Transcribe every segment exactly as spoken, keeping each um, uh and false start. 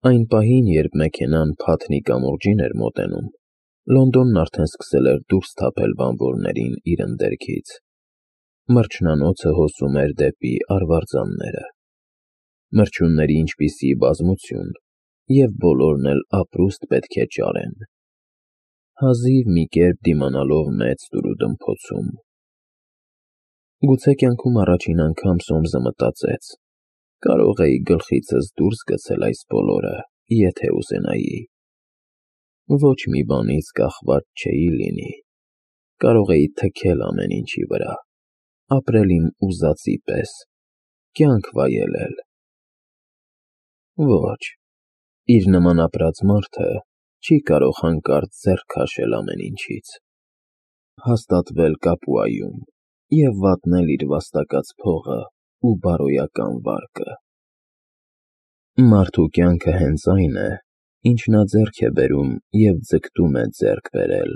Այն պահին, երբ մեքենան Փաթնի կամուրջին էր մոտենում, Լոնդոնն արդեն սկսել էր դուրս թափել բանվորներին իր ընդերքից։ Մրջնանոցը հոսում էր դեպի արվարձանները։ Մրջյունների ինչպիսի բազմություն, և բոլորն էլ ապրուստ պետք է ճարեն, հազիվ մի կերպ դիմանալով մեծ տուրուդմփոցում։ Գուցե կյանքում առաջին անգամ Սոմսը մտածեց. կարող էի գլխիցս դուրս գցել այս բոլորը, եթե ուզենայի։ Ոչ մի բանից կախված չէի լինի, կարող էի թքել ամեն ինչի վրա, ապրել իմ ուզածի պես, կյանք վայելել։ Ոչ, իր նման ապրած մարդը չի կարող հանկարծ ձեռք քաշել ամեն ինչից, հաստատվել Կապուայում և վատնել իր վաստակած փողը ու բարոյական վարկը։ Մարդու կյանքը հենց այն է, ինչ նա ձեռք է բերում և ձգտում է ձեռք բերել։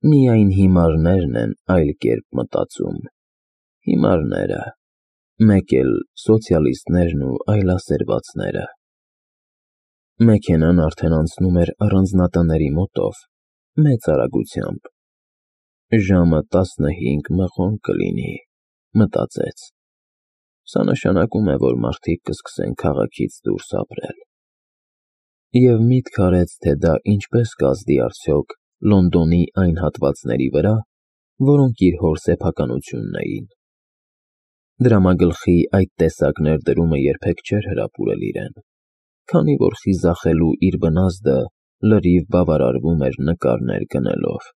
Միայն հիմարներն են այլ կերպ մտածում, հիմարները, մեկ էլ սոցիալիստներն ու այլասերվածները։ Մեքենան արդեն անցնում էր առանձնատների մոտով, մեծ արագությամբ։ Ժամը տասնհինգ մղոն կլինի, մտածեց։ Սա նշանակում է, որ մարդիկ կսկսեն քաղաքից դուրս ապրել։ Եվ միտք արեց, թե դա ինչպես կազդի արդյոք Լոնդոնի այն հատվածների վրա, որոնք իր հոր սեփականությունն էին։ Դրամագլխի այդ տեսակ ներդրումը երբեք չէր հրապուրել իրեն, քանի որ խիզախելու իր բնազդը լրիվ բավարարվում էր նկարներ գնելով։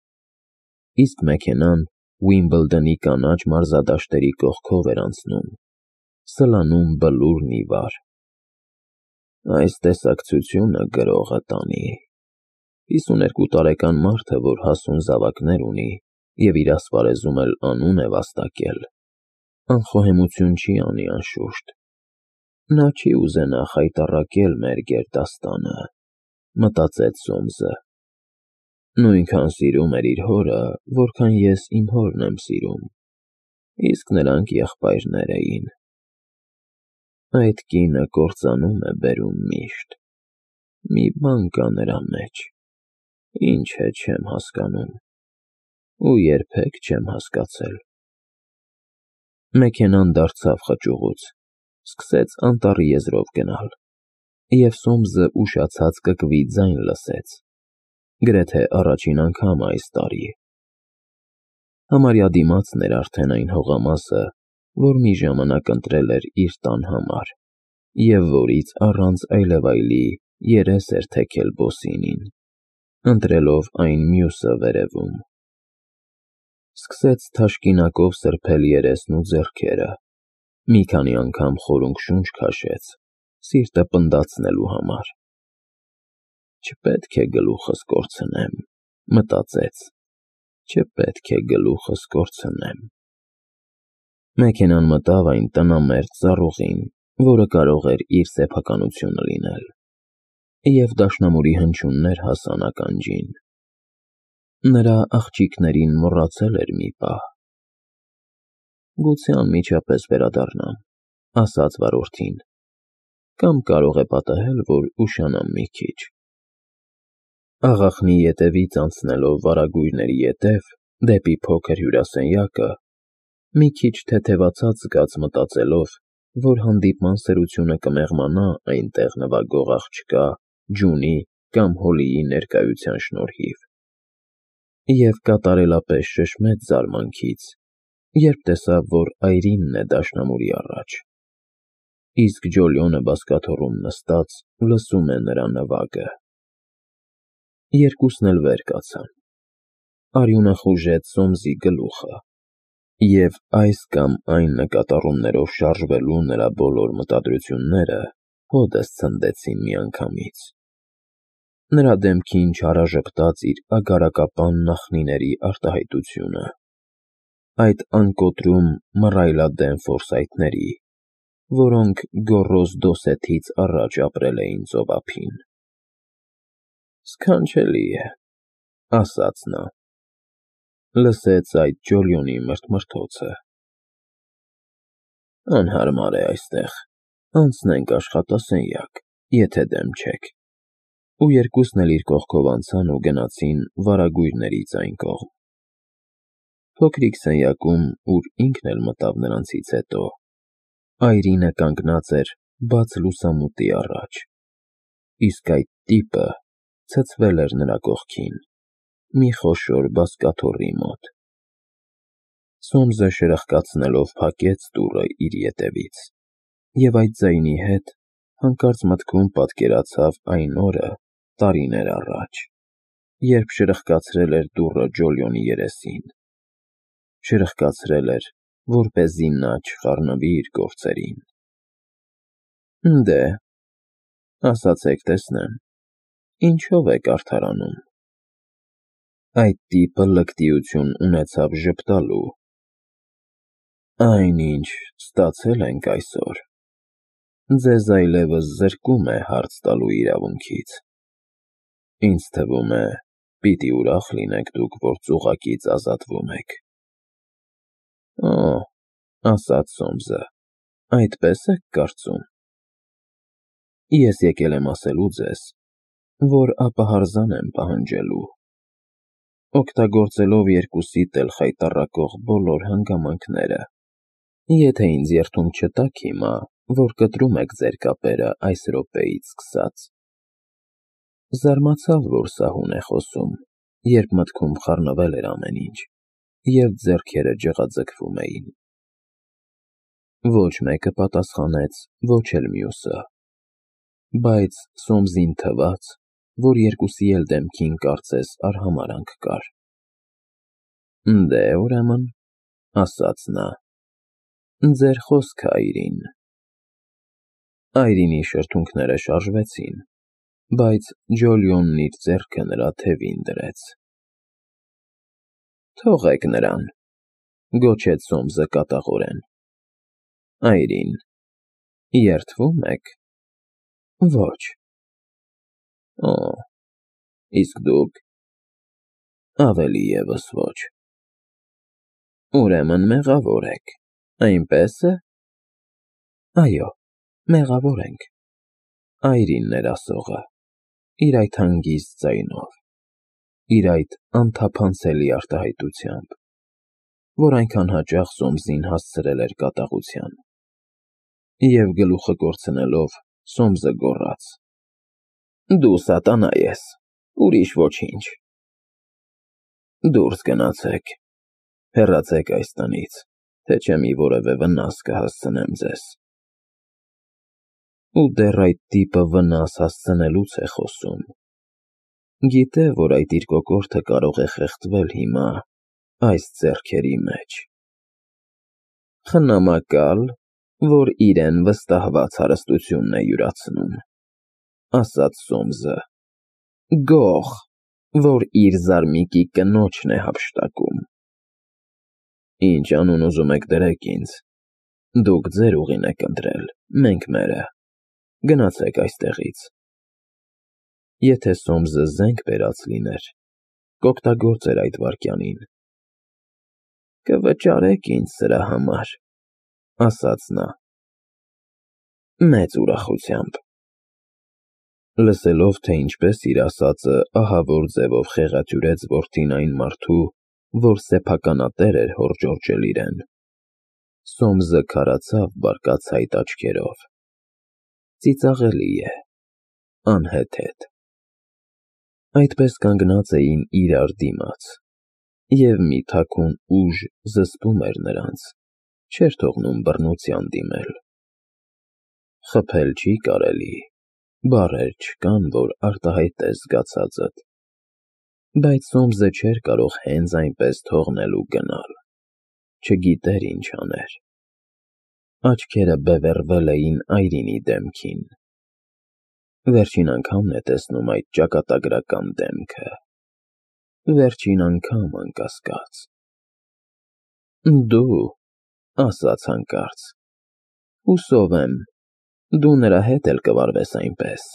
Իսկ մեքենան Ուիմբլդոնի կանաչ մարզադաշտերի կողքով էր անցնում, սլանում բլուրն ի վար։ Այս տեսակցությունը գրողը տանի։ Հիսուներկու տարեկան մարդը, որ հասուն զավակներ ունի և իր ասպարեզում էլ անուն է վաստակել, անխոհեմություն չի անի անշուշտ։ Նա չի ուզենա խայտառակել մեր գերդաստանը, մտածեց Սոմսը։ Նույնքան սիրում էր իր հորը, որքան ես իմ հորն եմ սիրում, իսկ նրանք եղբայրներ էին։ Այդ կինը կործանում է բերում միշտ, մի բան կա նրա մեջ, ինչ է չեմ հասկանում, ու երբեք չեմ հասկացել։ Մեքենան դարձավ խճուղուց, սկսեց անտառի եզրով գնալ, և Սոմսը ուշացած կկվի ձայն լսեց, գրեթե առաջին անգամ այս տարի։ Համարյա դիմացն էր արդեն այն հողամասը, որ մի ժամանակ ընտրել էր իր տան համար, և որից առանց այլևայլի երես էր թեքել Բոսինին, ընտրելով այն մյուսը վերևում։ Սկսեց թաշկինակով սրբել երեսն ու ձեռքերը, մի քանի անգամ խորունգ շունչ քաշեց, սիրտը պնդացնելու համար։ Չպետք է գլուխս կորցնեմ, մտածեց, չպետք է գլուխս կորցնեմ։ Մեքենան մտավ այն տնամերձ ծառուղին, որը կարող էր իր սեփականությունը լինել, և դաշնամուրի հնչյուններ հասան ականջին։ Նրա աղջիկներին մոռացել էր մի պահ։ Գուցե անմիջապես վերադառնամ, ասաց վարորդին, կամ կարող է պատահել, որ ուշանամ մի քիչ։ Աղախնի ետևից անցնելով վարագույրների ետև, դեպի փոքր հյուրասենյակը, մի քիչ թեթևացած զգաց մտածելով, որ հանդիպման սրությունը կմեղմանա այնտեղ նվագող աղջկա, Ջունի կամ Հոլիի ներկայության շնորհիվ։ Եվ կատարելապես շշմեց զարմանքից, երբ տեսավ, որ այրինն է դաշնամուրի առաջ, իսկ Ջոլիոնը բազկաթոռում նստած լսում է նրա նվագը։ Երկուսն էլ վեր կացան։ Արյունը խուժեց Սոմսի գլուխը, և այս կամ այն նկատառումներով շարժվելու նրա բոլոր մտադրությունները հօդս ցնդեցին միանգամից։ Նրա դեմքին չարաժպտաց իր ագարակապան նախնիների արտահայտությունը, այդ անկոտրում մռայլադեմ ֆորսայթների, որոնք գոռոզ դոսեթից առաջ ապրել էին ծովափին։ Սքանչելի է, ասաց նա։ Լսեց այդ Ջոլիոնի մրթմրթոցը։ Անհարմար է այստեղ, անցնենք աշխատասենյակ, եթե դեմ չեք։ Ու երկուսն էլ իր կողքով անցան ու գնացին վարագույրներից այն կողմ։ Փոքրիկ սենյակում, ուր ինքն էլ մտավ նրանցից հետո, Այրինը կանգնած էր բաց լուսամուտի առաջ, իսկ այդ տիպը ցցվել էր նրա կողքին, մի խոշոր բազկաթոռի մոտ։ Սոմսը շրխկացնելով փակեց դուռը իր ետևից, և այդ ձայնի հետ հանկարծ մտքում պատկերացավ այն օրը տարիներ առաջ, երբ շրխկացրել էր դուռը Ջոլիոնի երեսին, շրխկացրել էր, որպեսզի նա չխառնվի իր գործերին։ Դե, ասացեք տեսնեմ, ինչով եք արդարանում։ Այդ տիպը լկտիություն ունեցավ ժպտալու։ Այնինչ ստացել ենք այսօր, ձեզ այլևս զրկում է հարց տալու իրավունքից։ Ինձ թվում է, պիտի ուրախ լինեք դուք, որ ծուղակից ազատվում եք։ Օ, ասաց Սոմսը, այդպես եք կարծում։ Ես եկել եմ ասելու ձեզ, որ ապահարզան եմ պահանջելու, օգտագործելով երկուսիդ էլ խայտառակող բոլոր հանգամանքները, եթե ինձ երդում չտաք հիմա, որ կտրում եք ձեր կապերը այս րոպեից սկսած։ Զարմացավ, որ սահուն է խոսում, երբ մտքում խառնվել էր ամեն ինչ, և ձեռքերը ջղաձգվում էին։ Ոչ մեկը պատասխանեց, ոչ էլ մյուսը, բայց Սոմսին թվաց, որ երկուսի էլ դեմքին կարծես արհամարհանք կար։ Դե, ուրեմն, ասաց նա, ձեր խոսքը, Այրին։ Այրինի շրթունքները շարժվեցին, բայց Ջոլիոնն իր ձեռքը նրա թևին դրեց։ Թողեք նրան, գոչեց Սոմսը կատաղորեն։ Այրին, երդվում եք։ Ոչ։ Օ, իսկ դուք։ Ավելի ևս ոչ։ Ուրեմն մեղավոր եք, այնպես է։ Այո, մեղավոր ենք։ Այրինն էր ասողը, իր այդ հանգիստ ձայնով, իր այդ անթափանցելի արտահայտությամբ, որ այնքան հաճախ Սոմսին հասցրել էր կատաղության։ Եվ գլուխը կորցնելով, Սոմսը գոռաց. Դու սատանա ես, ուրիշ ոչինչ։ Դուրս գնացեք, հեռացեք այս տնից, թե չէ մի որևէ վնաս կհասցնեմ ձեզ։ Ու դեռ այդ տիպը վնաս հասցնելուց է խոսում։ Գիտե, որ այդ իր կոկորդը կարող է խեղդվել հիմա այս ձեռքերի մեջ։ Խնամակալ, որ իրեն վստահված հարստությունն է յուրացնում, ասաց Սոմսը, գող, որ իր զարմիկի կնոջն է հափշտակում։ Ինչ անուն ուզում եք դրեք ինձ, դուք ձեր ուղին եք ընտրել, մենք մերը, գնացեք այստեղից։ Եթե Սոմսը զենք բերած լիներ, կօգտագործեր այդ վայրկյանին։ Կվճարեք ինձ սրա համար, ասաց նա։ Մեծ ուրախությամբ։ Լսելով, թե ինչպես իր ասածը ահավոր ձևով խեղաթյուրեց որդին այն մարդու, որ սեփականատեր էր հոր Ջորջել իրեն, Սոմսը քարացավ բարկացայտ աչքերով։ Ծիծաղելի է, անհեթեթ։ Այդպես կանգնած էին իրար դիմաց, և մի թաքուն ուժ զսպում էր նրանց, չէր թողնում բռնության դիմել։ Խփել չի կարելի, բառեր չկան, որ արտահայտես զգացածդ, բայց Սոմսը չէր կարող հենց այնպես թողնել ու գնալ, չգիտեր ինչ աներ։ Աչքերը բևեռվել էին Այրինի դեմքին։ Վերջին անգամն է տեսնում այդ ճակատագրական դեմքը։ Վերջին անգամ, անկասկած։ Դու, ասաց հանկարծ, հուսով եմ, դու նրա հետ էլ կվարվես այնպես,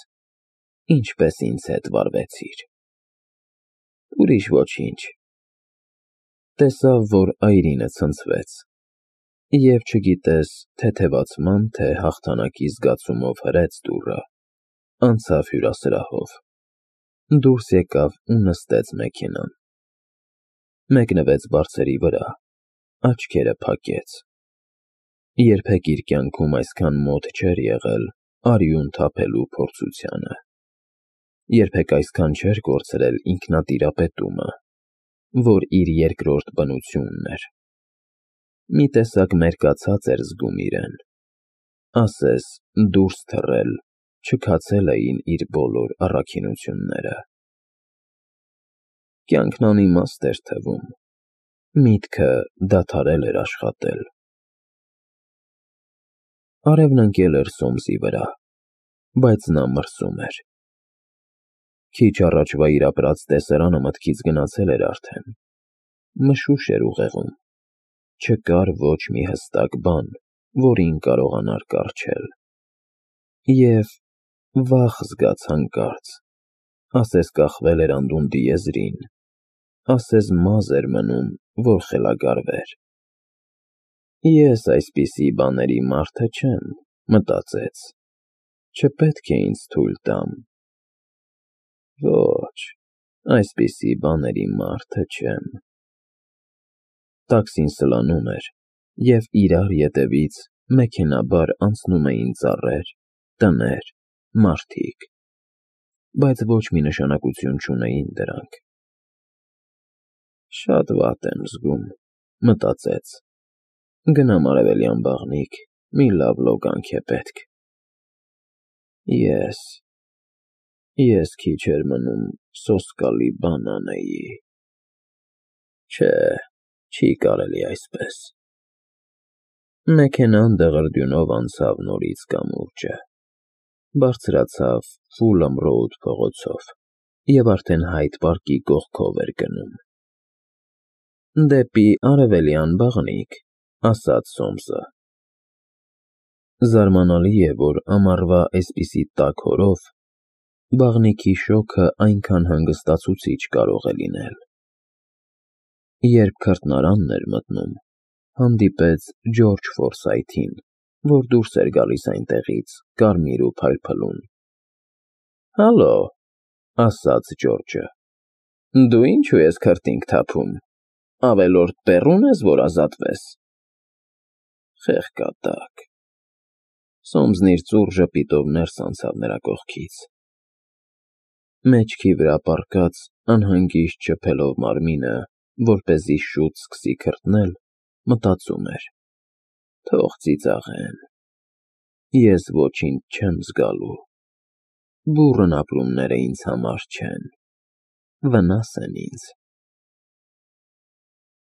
ինչպես ինձ հետ վարվեցիր։ Ուրիշ ոչինչ։ Տեսավ, որ Այրինը ցնցվեց, և չգիտես թեթևացման, թե հաղթանակի զգացումով հրեց դուռը, Անցավ հյուրասրահով։ Դուրս եկավ ու նստեց մեքենան։ Մեկնվեց բարձերի վրա, աչքերը փակեց։ Երբեք իր կյանքում այսքան մոտ չէր եղել արյուն թափելու փորձությանը։ Երբեք այսքան չէր կորցրել ինքնատիրապետումը, որ իր երկրորդ բնությունն էր։ Մի տեսակ մերկացած էր զգում իրեն, ասես դուրս թռել, չքացել էին իր բոլոր առաքինությունները։ Կյանքն անիմաստ էր թվում, միտքը դադարել էր աշխատել։ Արևն ընկել էր Սոմսի վրա, բայց նա մրսում էր։ Քիչ առաջվա իր ապրած տեսարանը մտքից գնացել էր արդեն, մշուշ էր ուղեղում, չկար ոչ մի հստակ բան, որին կարողանար կառչել։ Եվ վախ զգաց հանկարծ, ասես կախվել էր անդունդի եզրին, ասես մազ էր մնում, որ խելագարվեր։ Ես այսպիսի բաների մարդը չեմ, մտածեց, չպետք է ինձ թույլ տամ։ Ոչ, այսպիսի բաների մարդը չեմ։ Տաքսին սլանում էր, և իրար ետևից մեքենաբար անցնում էին ծառեր, տներ, մարդիկ, բայց ոչ մի նշանակություն չունեին դրանք։ Շատ վատ եմ զգում, մտածեց, գնամ արևելյան բաղնիք, մի լավ լոգանք է պետք։ Ես, ես քիչ էր մնում սոսկալի բան անեի։ Չէ, չի կարելի այսպես։ Մեքենան դղրդյունով անցավ նորից կամուրջը, բարձրացավ Ֆուլըմ Ռոուդ փողոցով և արդեն Հայդ պարկի կողքով էր գնում։ Դեպի արևելյան բաղնիք, ասաց Սոմսը։ Զարմանալի է, որ ամառվա այսպիսի տաք օրով բաղնիքի շոգը այնքան հանգստացուցիչ կարող է լինել։ Երբ քրտնարանն էր մտնում, հանդիպեց Ջորջ Ֆորսայթին, որ դուրս էր գալիս այնտեղից կարմիր ու փայլփլուն։ Հալո, ասաց Ջորջը, դու ինչու ես քրտինք թափում, ավելորդ բեռո՞ւն ես, որ ազատվես։ Խեղկատակ։ Սոմսն իր ծուռ ժպիտով ներս անցավ նրա կողքից։ Մեջքի վրա պառկած անհանգիստ շփելով մարմինը, որպեսզի շուտ սկսի քրտնել, մտածում էր. թող ծիծաղեն, ես ոչինչ չեմ զգալու, բուռն ապրումները ինձ համար չեն, վնաս են ինձ։